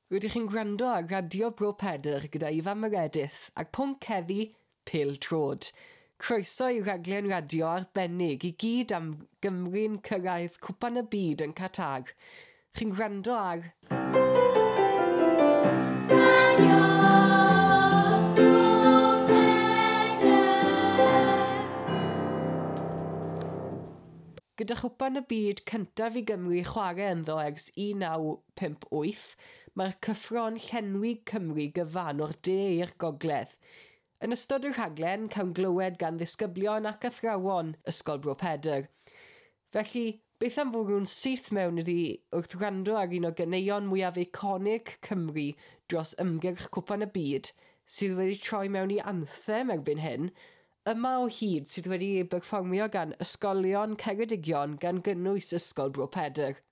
Rydych chi'n gwrando ar Radio Bro Pedr gyda Ifan Meredith a'r pwnc heddi, Pêl-droed. Croeso i raglen radio arbennig i gyd am Gymru'n cyrraedd Cwpan y Byd yn Qatar. Chi'n gwrando ar Radio Bro Pedr. Gyda Chwpan y Byd cyntaf i Gymru chwarae ynddo ers 1958, mae'r cyffro'n llenwi Cymru gyfan o'r de i'r gogledd. Yn ystod y rhaglen, cawn glywed gan ddisgyblion ac athrawon Ysgol Bro Pedr. Felly, beth am fwrw'n syth mewn iddi wrth wrando ar un o ganeuon mwyaf eiconig Cymru dros ymgyrch Cwpan y Byd, sydd wedi troi mewn i anthem erbyn hyn, Yma o Hyd sydd wedi ei berfformio gan Ysgolion Ceredigion gan gynnwys Ysgol Bro Pedr.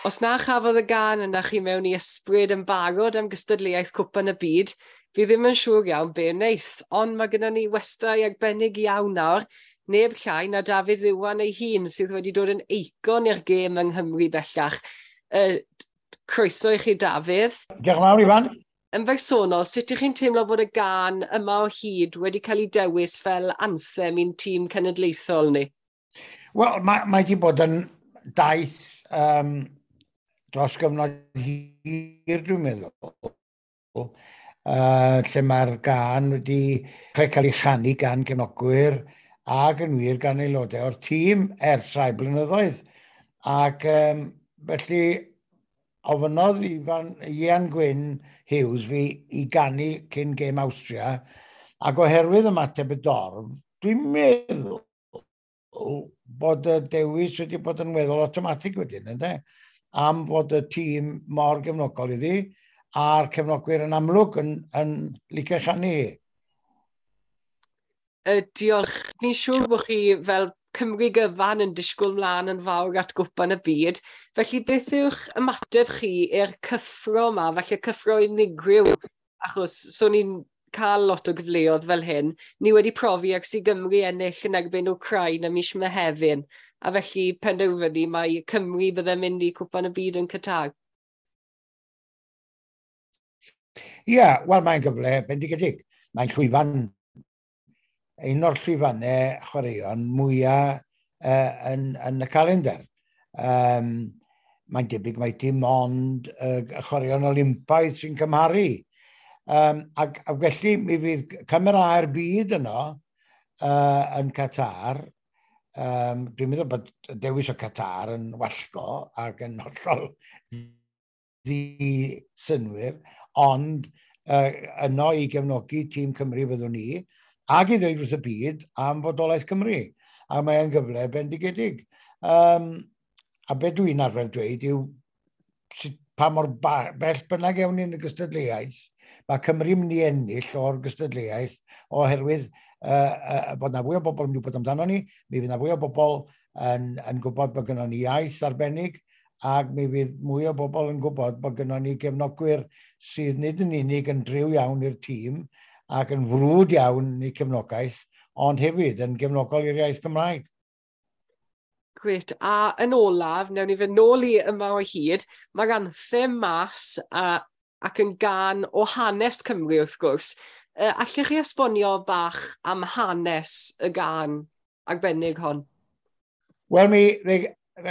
Os na chafodd y gân yna chi mewn i ysbryd yn barod am gystadleuaeth Cwpan y Byd, fi ddim yn siŵr iawn be wneith, ond mae gennym ni westai arbennig iawn nawr, neb llai na Dafydd Iwan ei hun sydd wedi dod yn eicon i'r gêm yng Nghymru bellach. Croeso i chi, Dafydd. Diolch yn fawr, Ifan. Yn bersonol, sut ych chi'n teimlo bod y gân Yma o Hyd wedi cael ei dewis fel anthem i'n tîm cenedlaethol ni? Wel, mae wedi bod yn daith dros gyfnod hir, dwi'n meddwl, lle mae'r gân wedi cael ei chanu gan gefnogwyr ac yn wir gan aelodau o'r tîm ers rhai blynyddoedd. Ac felly ofynnodd Ian Gwyn Hughes fi i ganu cyn gêm Awstria, ac oherwydd ymateb y dorf, dwi'n meddwl bod y dewis wedi bod yn weddol awtomatig wedyn, ynde? Am fod y tîm mor gefnogol iddi, a'r cefnogwyr yn amlwg yn licio chanu hi. Diolch. Ni'n siŵr bod chi fel Cymru gyfan yn disgwyl mlaen yn fawr at Gwpan y Byd. Felly beth yw'ch ymateb chi i'r cyffro yma, falle cyffro unigryw, achos so ni'n cael lot o gyfleoedd fel hyn. Ni wedi profi ers i Gymru ennill yn erbyn Wcrain ym mis Mehefin, a felly penderfynu mai Cymru bydde'n mynd i Cwpan y Byd yn Qatar. Ie, yeah, wel mae'n gyfle bendigedig. Mae'n llwyfan, un o'r llwyfannau chwaraeon mwyaf yn y calendar. Mae'n debyg mai dim ond chwaraeon Olympaidd sy'n cymharu. Ac felly mi fydd camerâu'r byd yno yn Qatar. Dwi'n meddwl bod dewis o Qatar yn wallgo ac yn hollol ddi-synwyr, ond yno i gefnogi tîm Cymru fyddwn ni, ac i ddweud wrth y byd am fodolaeth Cymru. A mae'n gyfle bendigedig. A be dwi'n arfer dweud yw pa mor bell bynnag ewn ni'n y gystadleuaeth, mae Cymru'n mynd i ennill o'r gystadleuaeth oherwydd bod na fwy o bobl yn mynd i wybod amdano ni, mi fydd na fwy o bobl yn gwybod bod gynnon ni iaith arbennig, ac mi fydd mwy o bobl yn gwybod bod gynnon ni gefnogwyr sydd nid yn unig yn driw iawn i'r tîm ac yn frwd iawn i cefnogaeth, ond hefyd yn gefnogol i'r iaith Gymraeg. Gret. A yn olaf, newn ni fynd nôl i Yma o Hyd, mae'r anthem mas ac yn gân o hanes Cymru wrth gwrs. Allech chi esbonio bach am hanes y gân arbennig hon? Wel, mi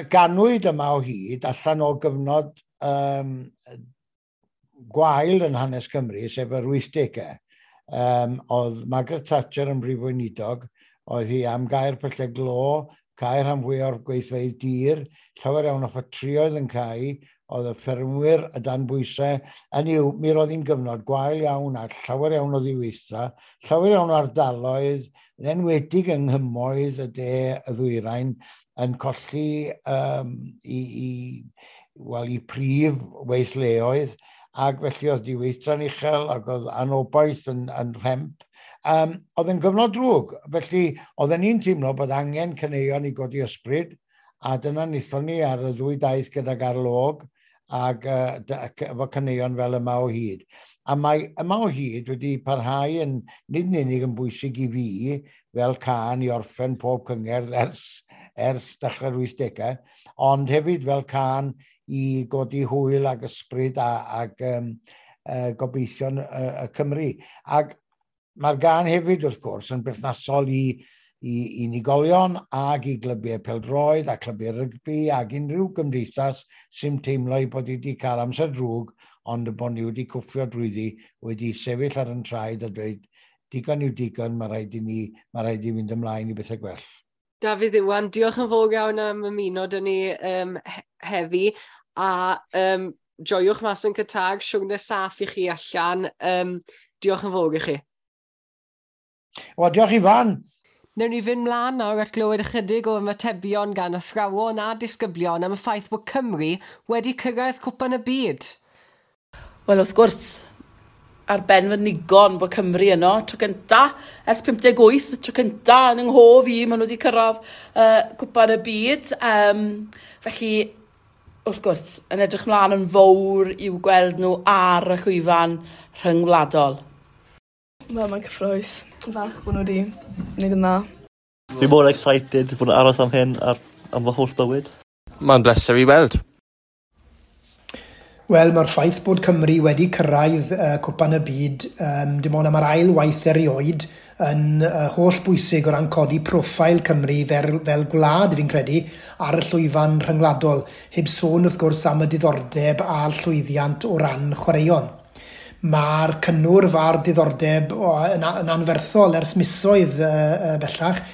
ganwyd Yma o Hyd allan o gyfnod gwael yn hanes Cymru, sef yr 80au. Oedd Margaret Thatcher yn brif weinidog, oedd hi am gau'r pyllau glo, cau rhan fwyaf o'r gweithfeydd dir, llawer iawn o ffatrïoedd yn cau, oedd y ffermwyr y dan bwysau. Hynny yw, mi roedd hi'n gyfnod gwael iawn a llawer iawn o ddiweithdra, llawer iawn o ardaloedd, yn enwedig yng nghymoedd y de y ddwyrain, yn colli i prif weithleoedd, ac felly oedd diweithdra'n uchel ac oedd anobaith yn rhemp. Oedd yn gyfnod drwg, felly oedden ni'n teimlo bod angen caneuon i godi ysbryd, a dyna wnaethon ni ar y ddwy daith gydag Ar Log ac efo caneuon fel Yma o Hyd. A mae Yma o Hyd wedi parhau yn nid yn unig yn bwysig i fi fel cân i orffen pob cyngerdd ers dechrau'r 80au, ond hefyd fel cân i godi hwyl ac ysbryd ac gobeithion y Cymru. Ac mae'r gân hefyd, wrth gwrs, yn berthnasol i unigolion ac i glybiau pêl-droed a clybiau rygbi ac unrhyw gymdeithas sy'n teimlo ei bod wedi cael amser drwg, ond y bod ni wedi cwffio drwyddi, wedi sefyll ar yn traed a dweud digon yw digon, mae rhaid i ni, mae rhaid i fynd ymlaen i bethau gwell. Dafydd Iwan, diolch yn fawr iawn am ymuno 'da ni heddi, a joiwch mas yn Qatar, siwrne saff i chi allan. Diolch yn fawr i chi. Wel, diolch Ifan. Newn ni fynd mlaen nawr at glywed ychydig o ymatebion gan athrawon a disgyblion am y ffaith bod Cymru wedi cyrraedd Cwpan y Byd. Wel, wrth gwrs, ar ben fy nigon bod Cymru yno, tro cynta, ers 58, tro cynta yn yng nghof i, maen nhw wedi cyrraedd Cwpan y Byd. Felly, Wrth gwrs, yn edrych mlaen yn fawr i'w gweld nhw ar y llwyfan rhyngwladol. Wel, mae'n cyffrous. Falch bod nhw wedi gwneud yn dda. Fi mor excited bod yn aros am hyn am fy holl bywyd. Mae'n bleser i weld. Wel, mae'r ffaith bod Cymru wedi cyrraedd Cwpan y Byd, dim ond am yr ail waith erioed, yn holl bwysig o ran codi profil Cymru fel gwlad, fi'n credu, ar y llwyfan rhyngwladol, heb sôn wrth gwrs am y diddordeb a'r llwyddiant o ran chwaraeon. Mae'r cynnwrf a'r diddordeb yn anferthol ers misoedd bellach,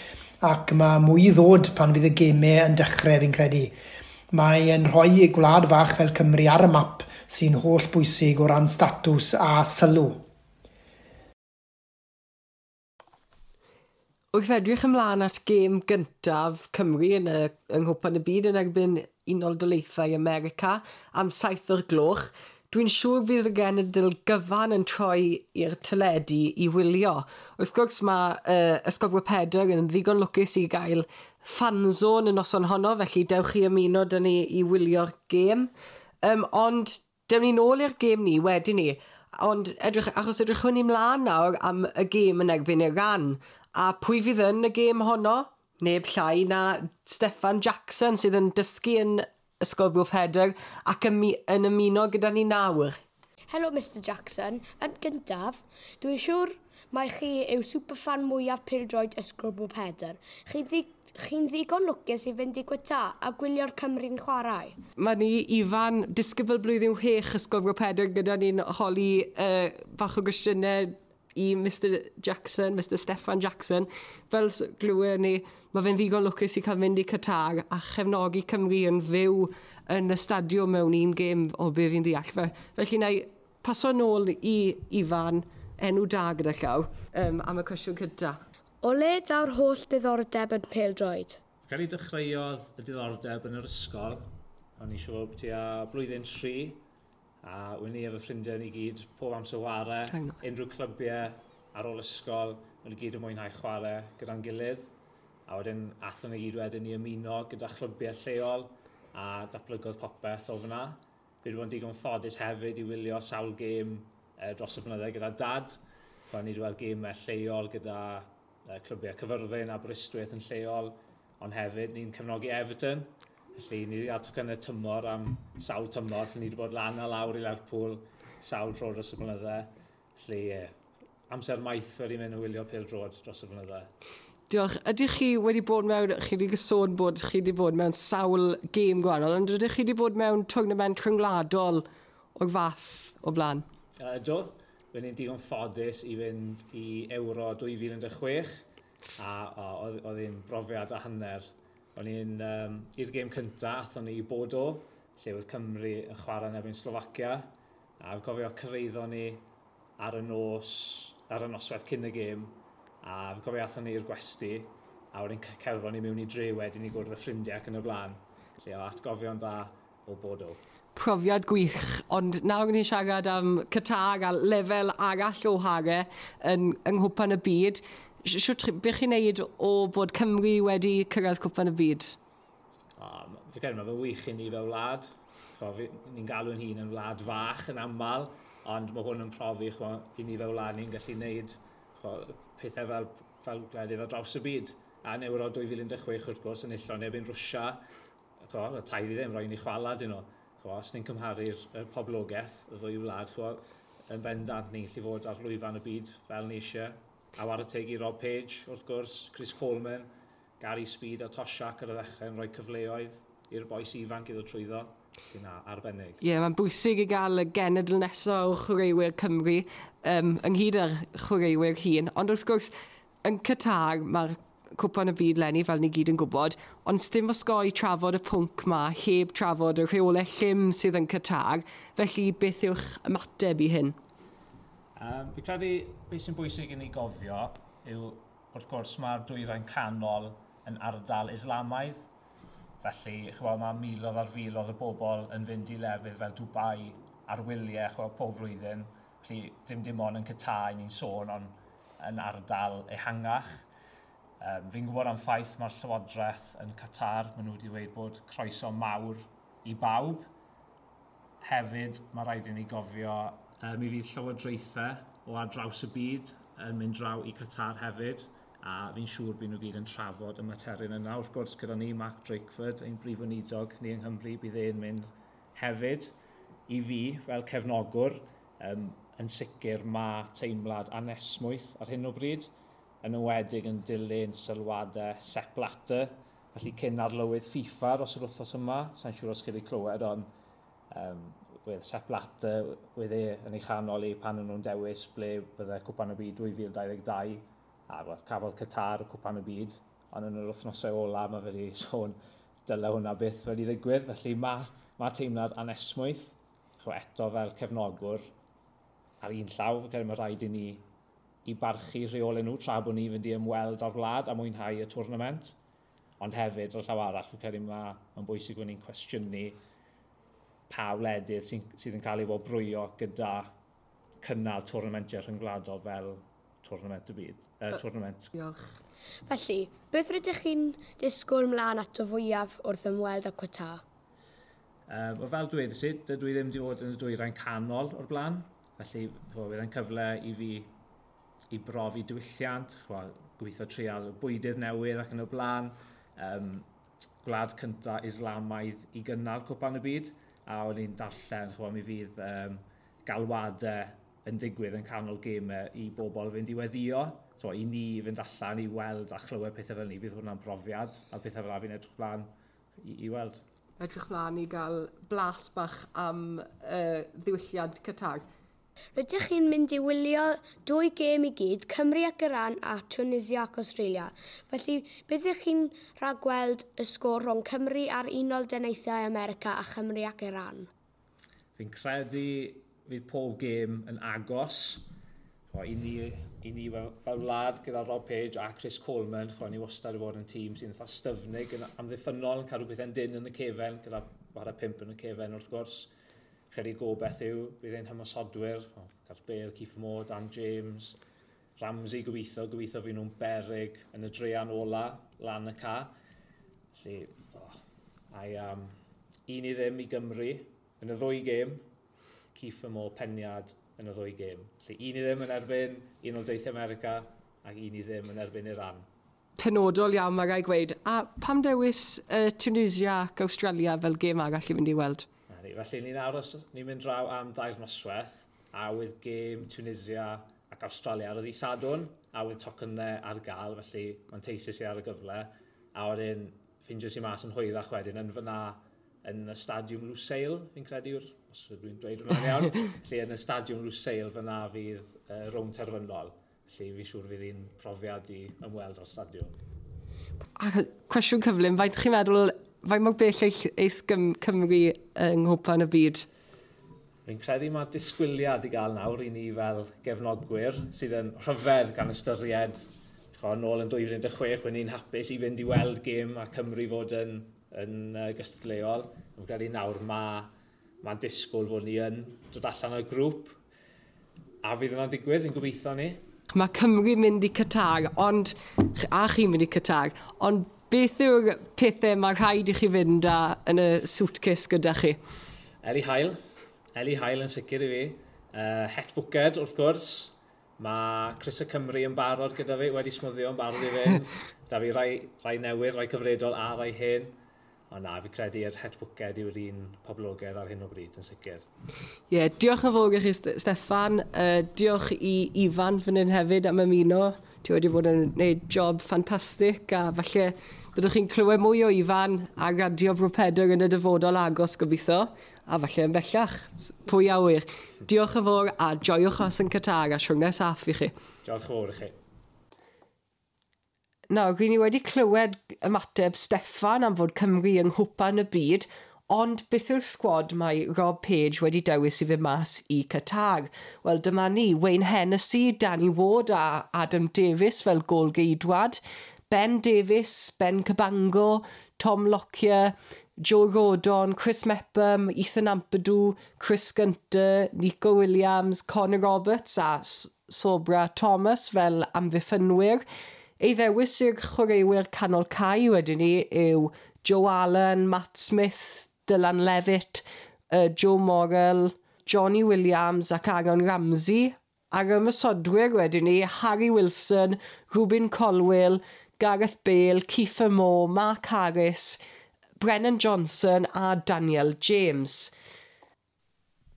ac mae mwy i ddod pan fydd y gemau yn dechrau, fi'n credu. Mae'n rhoi gwlad fach fel Cymru ar y map sy'n holl bwysig o ran statws a sylw. Wrth edrych ymlaen at gêm gyntaf Cymru yn yng Nghwpan y Byd yn erbyn Unol Daleithiau America am 7:00, dwi'n siŵr fydd y genedl gyfan yn troi i'r teledu i wylio. Wrth gwrs mae Ysgol Bro Pedr yn ddigon lwcus i gael fanzone y noson honno, felly dewch chi ymuno 'da ni i wylio'r gêm. Ond dewn ni nôl i'r gêm ni wedyn ni, ond achos edrychwn ni mlaen nawr am y gêm yn erbyn Iran. A pwy fydd yn y gêm honno? Neb llai na Steffan Jackson sydd yn dysgu yn Ysgol Bro Pedr ac yn ymuno gyda ni nawr. Helo Mr Jackson. Yn gyntaf, dwi'n siŵr mai chi yw superfan mwyaf pêl-droed Ysgol Bro Pedr. Chi'n ddigon lwcus i fynd i Qatar a gwylio'r Cymru'n chwarae. Mae ni Ifan, disgybl blwyddyn 6 Ysgol Bro Pedr, gyda ni'n holi bach o gwestiynau i Mr Jackson, Mr Steffan Jackson. Fel glywed ni, mae fe'n ddigon lwcus i cael mynd i Qatar a chefnogi Cymru yn fyw yn y stadiwm mewn un gêm o be fi'n ddeall. Felly na i paso nôl i Ifan, enw da gyda llaw, am y cwestiwn cyntaf. O le daw'r holl diddordeb yn pêl-droed? Credu dechreuodd y diddordeb yn yr ysgol. O'n i siŵr tua blwyddyn 3, a o'n i efo ffrindiau ni gyd, pob amser ware, unrhyw clybiau ar ôl ysgol, o'n i gyd yn mwynhau chwarae gyda'n gilydd. A wedyn athon ni gyd wedyn i ymuno gyda chlybiau lleol a datblygodd popeth o fyna. Fi wedi bod yn digon ffodus hefyd i wylio sawl gêm dros y blynydde gyda dad. O'n i wedi weld gemau lleol gyda clybiau Cyfyrddin a Aberystwyth yn lleol, ond hefyd ni'n cefnogi Everton. Felly ni wedi cael tocynnau tymor am sawl tymor, felly ni wedi bod lan a lawr i Lerpwl sawl tro dros y blynydde. Felly amser maith wedi mynd yn wylio pêl-droed dros y blynydde. Diolch. Ydych chi wedi bod mewn, chi wedi sôn bod chi wedi bod mewn sawl gêm gwahanol, ond ydych chi wedi bod mewn tournament rhyngwladol o'r fath o blaen? Ydw. Fe ni'n digon ffodus i fynd i Euro 2016, a oedd hi'n brofiad a hanner. O'n i'n, i'r gêm cyntaf, athon ni i Bordeaux, lle oedd Cymru yn chwarae yn erbyn Slofacia, a fi'n cofio cyrhaeddon ni ar y noswaith cyn y gêm, a fi'n cofio athon ni i'r gwesty, a wedyn cerddon ni mewn i dre wedyn i gwrdd y ffrindiau ac yn y blaen. Felly o atgofion da o Bordeaux. Profiad gwych, ond nawr ni'n siarad am Qatar a lefel arall o hare yng Nghwpan y Byd. Shwt beth chi'n neud o bod Cymru wedi cyrraedd Cwpan y Byd? Fi'n credu mae fe'n wych i ni fel wlad. Ni'n galw'n hun yn wlad fach yn aml, ond mae hwn yn profi i ni fel wlad ni'n gallu neud pethau fel gwledydd ar draws y byd. A yn Euro 2016 wrth gwrs yn enillon erbyn Rwsia, y tair i ddim, roi ni chwala dyn nhw. Os ni'n cymharu'r poblogaeth y ddwy wlad, yn bendant ni'n gallu fod ar lwyfan y byd fel ni eisiau. A whare teg i Rob Page, wrth gwrs, Chris Coleman, Gary Speed a Toshack ar y ddechrau yn rhoi cyfleoedd i'r bois ifanc i ddod trwyddo. Felly na, arbennig. Ie, mae'n bwysig i gael y genedl nesaf o chwaraewyr Cymru ynghyd â'r chwaraewyr hŷn. Ond wrth gwrs, yn Qatar, mae'r Cwpan y Byd leni, fel ni gyd yn gwybod, ond sdim osgoi trafod y pwnc ma heb trafod y rheolau llym sydd yn Qatar, felly beth yw'ch ymateb i hyn? Fi credu beth sy'n bwysig i ni gofio yw, wrth gwrs, mae'r dwyrain canol yn ardal Islamaidd, felly ch'mod, mae miloedd ar filoedd o bobl yn fynd i lefydd fel Dubai ar wyliau ch'mod, pob flwyddyn, felly dim ond yn Qatar ni'n sôn, ond yn ardal ehangach. Fi'n gwybod am ffaith mae'r Llywodraeth yn Qatar, maen nhw wedi dweud bod croeso mawr i bawb. Hefyd, mae rhaid i ni gofio, mi fydd llywodraethau o ar draws y byd yn mynd draw i Qatar hefyd, a fi'n siŵr bydd nhw gyd yn trafod y materion yna. Wrth gwrs, gyda ni Mark Drakeford, ein brif weinidog ni yng Nghymru, bydd e'n mynd hefyd. I fi, fel cefnogwr, yn sicr mae teimlad anesmwyth ar hyn o bryd, yn enwedig yn dilyn sylwadau Sepp Blatter, felly cyn arlywydd FIFA dros yr wythnos yma, sa'n siŵr os chi wedi clywed, ond wedd Sepp Blatter, wedd e yn ei chanol i pan o'n nhw'n dewis ble bydde Cwpan y Byd 2022, a well, cafodd Qatar y Cwpan y Byd, ond yn yr wythnosau ola mae fe wedi sôn dyle hwnna byth wedi ddigwydd, felly mae teimlad anesmwyth, eto fel cefnogwr, ar un llaw, fi'n credu mae rhaid i ni i barchu rheolau nhw tra bod ni fynd i ymweld â'r wlad a mwynhau y tournament. Ond hefyd, o'r llaw arall, fi'n credu mae'n bwysig bod ni'n cwestiynu pa wledydd sydd yn cael ei wobrwyo gyda cynnal tournamentiau rhyngwladol fel tournament y byd. Tournament. Diolch. Felly, beth rydych chi'n disgwyl mlaen ato fwyaf wrth ymweld â Qatar? Wel, fel dweud i, dydw i ddim wedi bod yn y dwyrain canol o'r blaen. Felly, bydd yn cyfle i fi i brofi diwylliant, gobeithio trial bwydydd newydd ac yn y blaen. Gwlad cynta Islamaidd i gynnal Cwpan y Byd, a o'n i'n darllen, mi fydd galwadau yn digwydd yn canol gemau i bobl fynd i weddio. So, i ni fynd allan i weld a chlywed pethau fel ni, fydd hwnna'n brofiad, a pethau fel fi'n edrych mlaen i weld. Edrych mlaen i gael blas bach am ddiwylliant Qatar. Rydych chi'n mynd i wylio 2 gêm i gyd, Cymru ac Iran a Tunisia ac Australia. Felly, beth ydych chi'n rhagweld y sgôr rhwng Cymru a'r Unol Daleithiau America a Chymru ac Iran? Fi'n credu fydd pob gêm yn agos. I ni fel wlad gyda Rob Page a Chris Coleman, ni wastad wedi bod yn tîm sy'n eitha styfnig, yn amddiffynnol, yn cadw pethau'n dyn yn y cefen, gyda chwarae 5 yn y cefen wrth gwrs. Credu gobeith yw, bydd ein hymosodwyr, Gareth Bale, Kieffer Moore, Dan James, Ramsey gobeithio fydd nhw'n beryg yn y dreian ola lan y ca. Felly, 1-0 i Gymru yn y ddwy gêm, Kieffer Moore peniad yn y ddwy gêm. Felly 1-0 yn erbyn Unol Daleithiau America ac 1-0 yn erbyn Iran. Penodol iawn mae rai gweud. A pam dewis Tunisia ac Australia fel gêm arall i fynd i weld? Felly ni'n aros, ni'n mynd draw am 2 noswaith, a with gêm Tunisia ac Australia ar y ddydd Sadwrn, a with tocynnau ar gael, felly manteisus i ar y gyfle. A wedyn ffindio si mas yn hwyrach wedyn yn fyna yn y Stadiwm Lusail, fi'n credu yw'r, os dwi'n dweud hwnna'n iawn, felly yn y Stadiwm Lusail fyna fydd rownd terfynol. Felly fi'n siŵr fydd hi'n profiad i ymweld o'r stadiwm. A cwestiwn cyflym, faint chi'n meddwl, faint mor bell eith Cymru yng Nghwpan y Byd? Fi'n credu mae disgwyliad i gael nawr i ni fel gefnogwyr sydd yn rhyfedd gan ystyried nôl yn 2016, when ni'n hapus i fynd i weld gêm a Cymru fod yn gystadleuol. Fi'n credu nawr mae disgwyl fod ni yn dod allan o'r grŵp a fydd yna'n digwydd, fi'n gobeithio ni. Mae Cymru mynd i Qatar, ond, a chi'n mynd i Qatar, ond beth yw'r pethau mae rhaid i chi fynd â yn y suitcase gyda chi? Eli Hael yn sicr i fi. Het bwced, wrth gwrs. Mae Chris y Cymru yn barod gyda fi, wedi smwddio yn barod i fynd. Da fi rai newydd, rai cyfredol a rai hen. Ond na, fi credu yr het bwced yw'r un poblogaidd ar hyn o bryd, yn sicr. Ie, yeah, diolch yn fawr i chi, Steffan. Diolch i Ifan fan hyn hefyd am ymuno. Ti wedi bod yn gwneud job ffantastig a falle byddwch chi'n clywed mwy o Ifan ar Radio Bro Pedr yn y dyfodol agos gobeithio, a falle yn bellach, pwy a ŵyr. Diolch yn fawr a joiwch os yn Qatar a siwrne saff i chi. Diolch yn fawr i chi. Nawr, ry'n ni wedi clywed ymateb Steffan am fod Cymru yng Nghwpan y Byd, ond beth yw'r sgwad mae Rob Page wedi dewis i fynd mas i Qatar? Wel, dyma ni, Wayne Hennessy, Danny Ward a Adam Davies fel gôl-geidwad, Ben Davies, Ben Cabango, Tom Lockyer, Joe Rodon, Chris Mepham, Ethan Ampadu, Chris Gunter, Nico Williams, Connor Roberts a Sobra Thomas fel amddiffynwyr. Ei ddewis i'r chwaraewyr canol cae wedyn ni yw Joe Allen, Matt Smith, Dylan Levitt, Joe Morrell, Johnny Williams ac Aaron Ramsey. A'r ymosodwyr wedyn ni, Harry Wilson, Rubin Colwill, Gareth Bale, Kiefer Moore, Mark Harris, Brennan Johnson a Daniel James.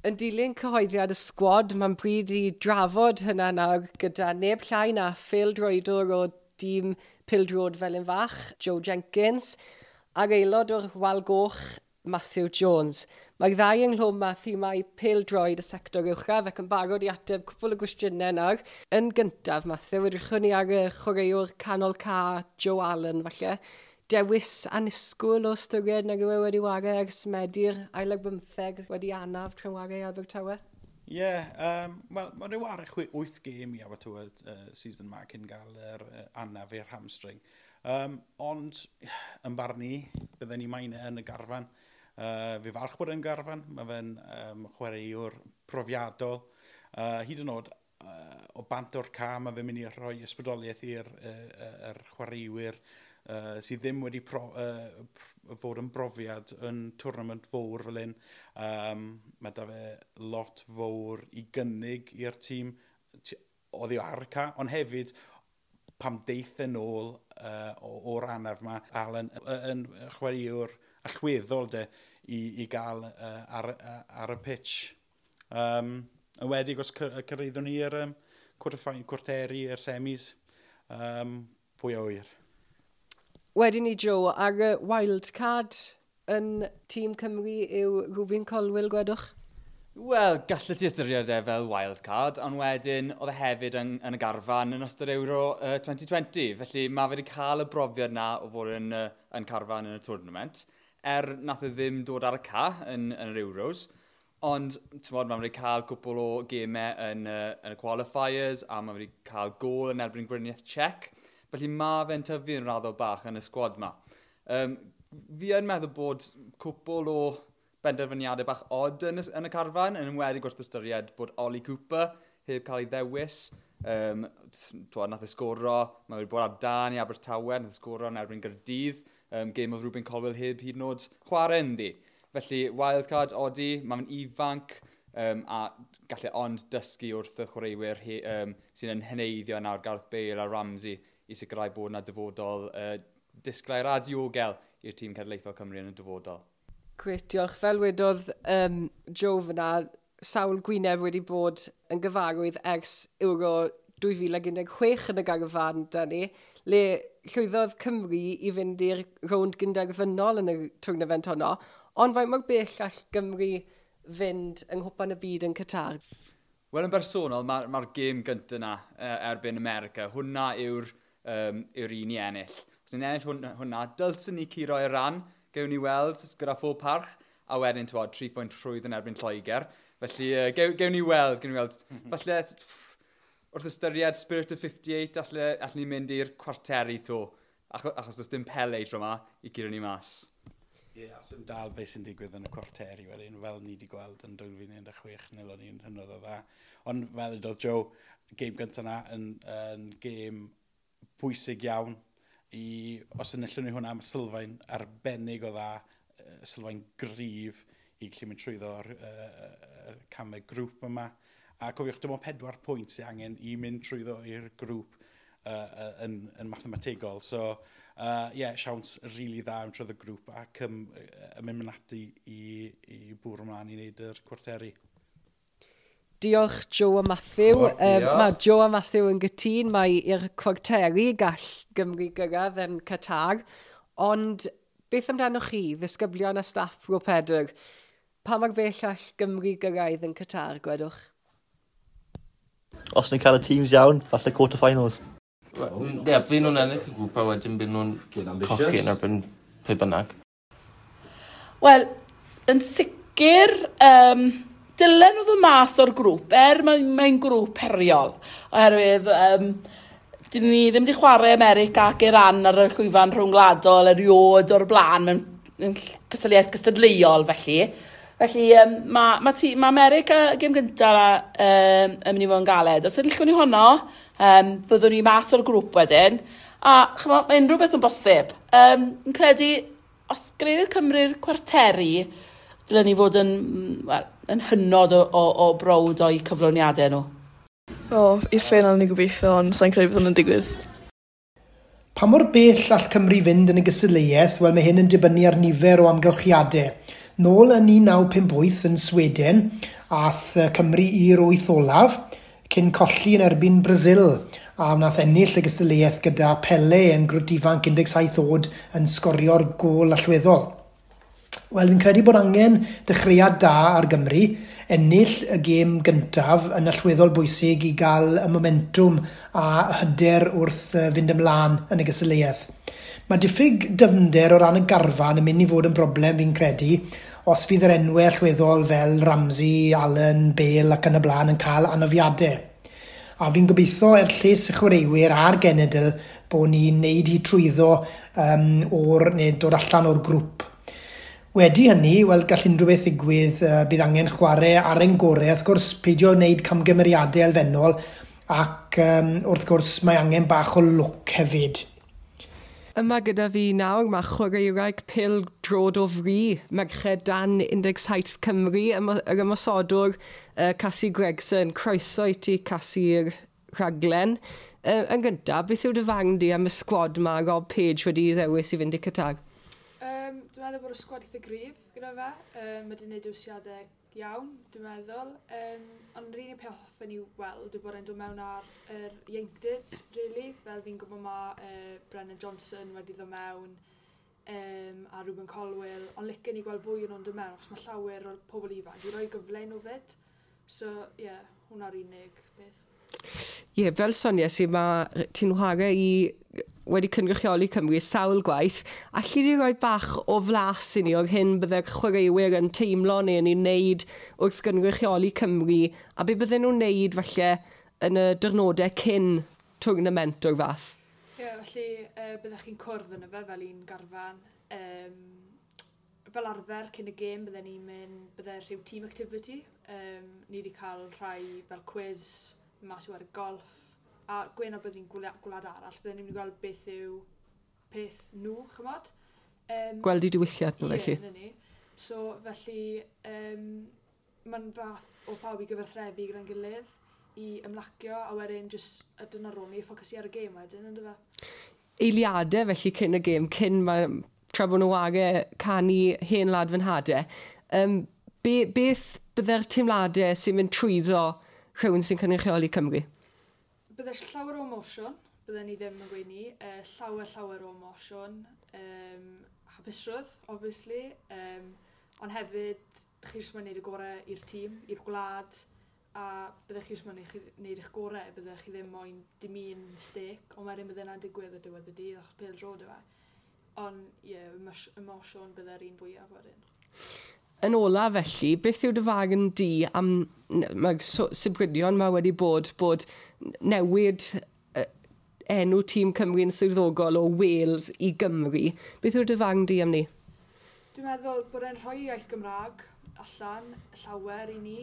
Yn dilyn cyhoeddiad y sgwad, mae'n bryd i drafod hynna nawr gyda neb llai na phêl-droedwr o dîm Pêl-droed Felin-Fach, Joe Jenkins, a'r aelod o'r Wal Goch, Matthew Jones. Mae'r ddau ynghlwm â thimau pêl-droed y sector uwchradd ac yn barod i ateb cwpl o gwestiynau nawr. Yn gyntaf, Matthew, edrychwn ni ar y chwaraewr canol ca Joe Allen, falle. Dewis annisgwyl o ystyried nag yw e wedi ware ers Medi'r ail ar bymtheg wedi anaf tra'n ware i Abertawe? Ie, yeah, wel, mae wedi ware 8 gêm i Abertawe season ma cyn gael yr anaf i'r hamstring. Ond, yn barn i, bydden ni moyn e yn y garfan. Fi falch bod e'n garfan, mae fe'n chwaraewr profiadol. Hyd yn oed, o bant o'r ca, mae fe'n mynd i rhoi ysbrydoliaeth i'r yr chwaraewyr sydd ddim wedi fod yn brofiad yn tournament fawr fel hyn. Mae da fe lot fawr i gynnig i'r tîm oddi ar y ca, ond hefyd pam deith yn ôl o'r anaf ma, Alan yn chwaraewr allweddol de i gael ar y pitch. Yn wedi os cyrraeddwn ni i'r cwarteri, i'r semis, pwy a ŵyr. Wedyn ni, Joe, ar y wildcard yn tîm Cymru yw Rubin Colwill, gwedwch? Wel, gallet ti ystyried e fel wildcard, ond wedyn oedd e hefyd yn y garfan yn ystod Euro 2020. Felly mae fe wedi cael y brofiad na o fod yn carfan yn y tournament. Nath e ddim dod ar y ca yn yr Euros, ond t'mod, mae wedi cael cwpl o gemau yn y qualifiers, a mae wedi cael gôl yn erbyn Gweriniaeth Czech. Felly mae fe'n tyfu yn raddol bach yn y sgwad ma. Fi yn meddwl bod cwpl o benderfyniadau bach odd yn y carfan, yn enwedig wrth ystyried bod Ollie Cooper heb cael ei ddewis. T'wod, nath e sgoro, mae wedi bod ar dan i Abertawe, nath e sgoro yn erbyn Gaerdydd, gêm oedd Rubin Colwill heb hyd yn oed chwarae ynddi. Felly, wildcard odi, mae'n ifanc, a gallai ond dysgu wrth y chwaraewyr sy'n yn heneiddio nawr Gareth Bale a Ramsey i sicrhau bod yna dyfodol disglair a diogel i'r tîm cenedlaethol Cymru yn y dyfodol. Gret, diolch. Fel wedodd Joe fyna, sawl gwyneb wedi bod yn gyfarwydd ers Euro 2016 yn y garfan da ni, le llwyddodd Cymru i fynd i'r rownd gynderfynol yn y tournament honno, ond faint mor bell all Gymru fynd yng Nghwpan y Byd yn Qatar? Wel, yn bersonol, mae'r gêm gyntaf yna erbyn America, hwnna yw'r un i ennill. Os ni'n ennill hwnna, dylswn ni curo Iran, gewn ni weld gyda phob parch, a wedyn, t'wod, 3 pwynt rhwydd yn erbyn Lloegr. Felly, gewn ni weld, gewn ni weld. Falle, wrth ystyried Spirit of 58, allen ni mynd i'r cwarteri to, achos does dim Pele tro yma i guro ni mas. Ie, yeah, sy'n dal beth sy'n digwydd yn y cwarteri wedyn, fel ni wedi gweld yn 2016, neu o'n i'n hynod o dda. Ond fel ydodd Joe, gêm gyntaf yna yn gêm pwysig iawn i, os enillwn ni hwnna, mae sylfaen arbennig o dda, sylfaen gryf i gallu mynd trwyddo o'r camau grŵp yma. A cofiwch, dim ond 4 pwynt sy'n angen i mynd trwyddo i'r grŵp yn mathemategol. So, yeah, siawns rili really dda yn trwyddo grŵp ac yn mynd ati i bwrw ymlaen i wneud yr cwarteri. Diolch Joe a Matthew. O, diolch. Mae Joe a Matthew yn gytûn mai i'r cwarteri gall Gymru gyrraedd yn Qatar. Ond beth amdanoch chi, ddisgyblion a staff Bro Pedr? Pa mor bell all Gymru gyrraedd yn Qatar, gwedwch? Os ni'n cael y teams iawn, falle quarter-finals. Ie, yeah, byd nhw'n ennill y grŵp a wedyn byd nhw'n cochi yn erbyn pe bynnag. Wel, yn sicr, dylen nhw ddod mas o'r grŵp, er mae'n grŵp heriol, oherwydd dyn ni ddim wedi chwarae America ac Iran ar y llwyfan rhwngwladol erioed o'r blaen mewn cystadleuaeth gystadleuol felly. Felly mae America gêm gyntaf yn mynd i fod yn galed. Os ydych ni honno, fyddwn ni mas o'r grŵp wedyn. A chymod, mae unrhyw beth yn bosib. Yn credu Os gyrhaeddodd Cymru'r cwarteri, dylen ni fod yn, well, yn hynod o browd o'i cyflawniadau nhw. O, i'r ffeinal ni gobeithio, ond sa'n credu bydd hwnna'n digwydd. Pa mor bell all Cymru fynd yn y gystadleuaeth? Wel, mae hyn yn dibynnu ar nifer o amgylchiadau. Nôl yn 1958 yn Sweden, ath Cymru i'r wyth olaf, cyn colli yn erbyn Brazil, a wnaeth ennill y gystadleuaeth gyda Pele yn grwt ifanc 17 oed yn sgorio'r gôl allweddol. Wel, fi'n credu bod angen dechreuad da ar Gymru, ennill y gêm gyntaf yn allweddol bwysig i gael y momentwm a hyder wrth fynd ymlaen yn y gystadleuaeth. Mae diffyg dyfnder o ran y garfan yn mynd i fod yn broblem fi'n credu, os fydd yr enwau allweddol fel Ramsey, Allen, Bale ac yn y blaen yn cael anafiadau. A fi'n gobeithio er lles y chwaraewyr a'r genedl bod ni'n neud hi trwyddo o'r, neu dod allan o'r grŵp. Wedi hynny, wel, gall unrhyw beth ddigwydd, bydd angen chwarae ar ein gorau, wrth gwrs peidio wneud camgymeriadau elfennol, ac wrth gwrs mae angen bach o lwc hefyd. Yma gyda fi nawr mae chwaraewraig pêl-droed o fri, merched dan 17 Cymru, yr ymosodwr Cassie Gregson. Croeso i ti, Cassie, i'r rhaglen. Yn gyntaf, beth yw dy farn di am y sgwad mae Rob Page wedi ddewis i fynd i Qatar? Dwi'n meddwl bod y sgwad eitha gryf gyda fe. Mae wedi gwneud dewisiadau iawn, dwi'n meddwl. Ond yr unig peth hoffen i weld yw bod e'n dod mewn ar yr ieuenctid, really. Fel fi'n gwybod mae Brennan Johnson wedi ddod mewn a Ruben Colwill. Ond licen i gweld fwy o'n nhw'n dod mewn, achos mae llawer o'r pobl ifanc i roi gyfle i nhw fyd. So, ie, yeah, hwnna'r unig beth. Ie, yeah, fel sonies i, mae ti'n chwarae i wedi cynrychioli Cymru sawl gwaith. Alli di roi bach o flas i ni o'r hyn bydde'r chwaraewyr yn teimlo neu yn ei wneud wrth gynrychioli Cymru, a be bydden nhw'n wneud falle yn y diwrnodau cyn tournament o'r fath? Ie, yeah, felly byddech chi'n cwrdd yn y fe fel un garfan. Fel arfer cyn y gêm bydden ni'n mynd, bydde rhyw team activity. Ni wedi cael rhai fel quiz, mas i wario golf, a gwen o byddwn ni'n gwlad arall, byddwn ni'n mynd i gweld beth yw peth nhw, chymod? Gweld i diwylliant nhw, felly. Ie, ni. So, felly, mae'n fath o pawb i gyfathrebu gyda'n gilydd, i ymlacio, a wedyn jyst, a dyna rôl ni, ffocysu ar y gêm wedyn, ynddo fe? Eiliadau, felly, cyn y gêm, cyn mae, tra bod nhw wage canu hen wlad fy nhadau, beth bydde'r teimladau sy'n mynd trwyddo rhywun sy'n cynrychioli Cymru? Bydde llawer o emosiwn, bydde ni ddim yn gweud ni, llawer o emosiwn, hapusrwydd, obviously, ond hefyd chi jyst moyn wneud y gorau i'r tîm, i'r gwlad, a bydde chi jyst moyn wneud eich gorau, bydde chi ddim moyn dim un mistake, ond wedyn bydde yna'n digwydd o diwedd y dydd, achos pêl-droed yw e. Ond ie, yeah, emosiwn bydde'r un fwyaf wedyn. Yn ola felly, beth yw dy farn di am mae'r sibrydion mae wedi bod newid enw tîm Cymru'n swyddogol o Wales i Gymru. Beth yw dy farn di am ni? Dwi'n meddwl bod e'n rhoi iaith Gymraeg allan llawer i ni,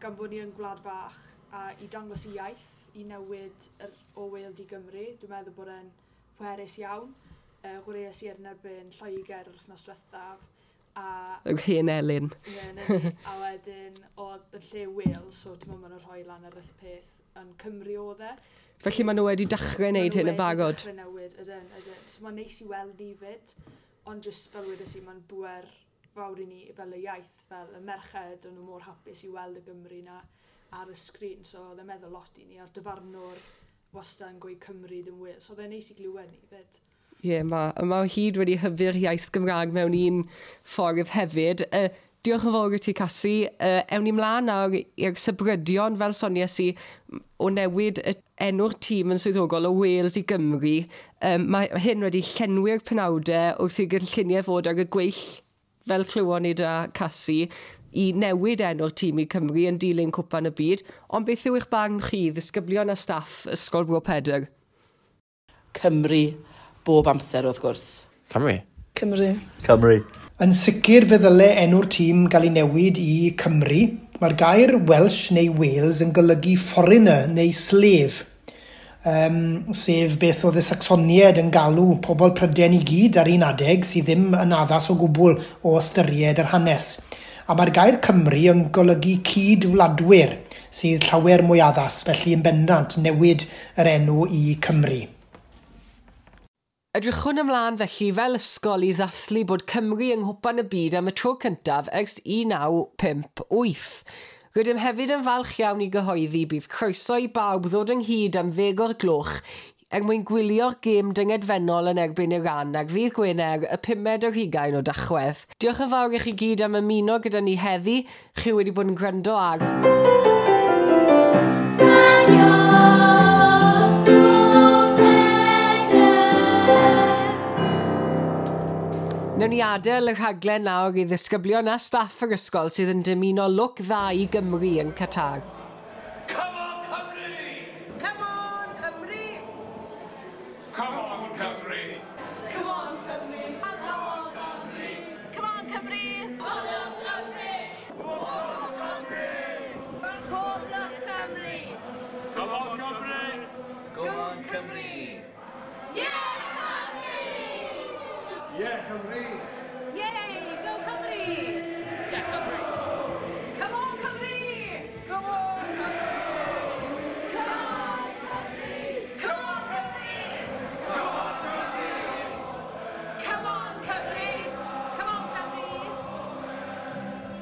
gan fod ni yn gwlad fach, a i dangos i iaith, i newid o Wales i Gymru. Dwi'n meddwl bod e'n pwerus iawn. Chwaraeais i yn erbyn Lloegr yr wythnos diwethaf. Yr hen Elin. Ie, a wedyn oedd yn lle Wales, so ti'n meddwl maen nhw'n rhoi lan ar y peth yn Cymru oedd e. Felly maen nhw wedi dechrau wneud hyn yn barod. Maen nhw wedi dechrau newid, ydyn, ydyn. So mae'n neis i weld ni fyd, ond jyst fel wedes i, mae'n bwer fawr i ni fel y iaith, fel y merched, o'n nhw mor hapus i weld y Gymru na ar y sgrin, so oedd e'n meddwl lot i ni, a'r dyfarnwr wastad yn gweud Cymru dim Wales, so oedd e'n neis i glywed ni fyd. Ie, mae hyd wedi hyfu'r iaith Gymraeg mewn un ffordd hefyd. Diolch yn fawr i ti, Cassie. Ewn ni mlaen nawr i'r sybrydion, fel sonies i, o newid enw'r tîm yn swyddogol o Wales i Gymru. Mae hyn wedi llenwi'r penawdau wrth i gynlluniau fod ar y gweill, fel clywon ni da Cassie, i newid enw'r tîm i Cymru yn dilyn Cwpan y Byd. Ond beth yw eich barn chi, ddisgyblion a staff Ysgol Bro Pedr? Cymru. Bob amser, wrth gwrs. Cymru. Cymru. Cymru. Yn sicr fe ddyle enw'r tîm gael ei newid i Cymru. Mae'r gair Welsh neu Wales yn golygu foreigner neu slave. sef beth oedd y Sacsoniaid yn galw pobl Prydain i gyd ar un adeg sydd ddim yn addas o gwbl o ystyried yr hanes. A mae'r gair Cymru yn golygu cydwladwyr sydd llawer mwy addas, felly yn bendant newid yr enw i Cymru. Edrychwn ymlaen felly fel ysgol i ddathlu bod Cymru yng Nghwpan y Byd am y tro cyntaf ers 1958. Rydym hefyd yn falch iawn i gyhoeddi bydd croeso i bawb ddod ynghyd am 10:00 er mwyn gwylio'r gêm dyngedfennol yn erbyn Iran ar ddydd Gwener y 25 o Dachwedd. Diolch yn fawr i chi gyd am ymuno gyda ni heddi. Chi wedi bod yn gwrando ar Radio Bro Pedr. Newn ni adael y rhaglen nawr i ddisgyblion a staff yr ysgol sydd yn dymuno lwc dda i Gymru yn Qatar. Come on, Cymru! Come on, Cymru! Come on, Cymru! Come on, Cymru! Come on, Cymru! Come on, Cymru! Come on, Cymru! Come on, Cymru! Pob lwc Cymru! Come on, Cymru! Go on, Cymru! Yeah, Cymru! Yeah, Cymru! Yeah!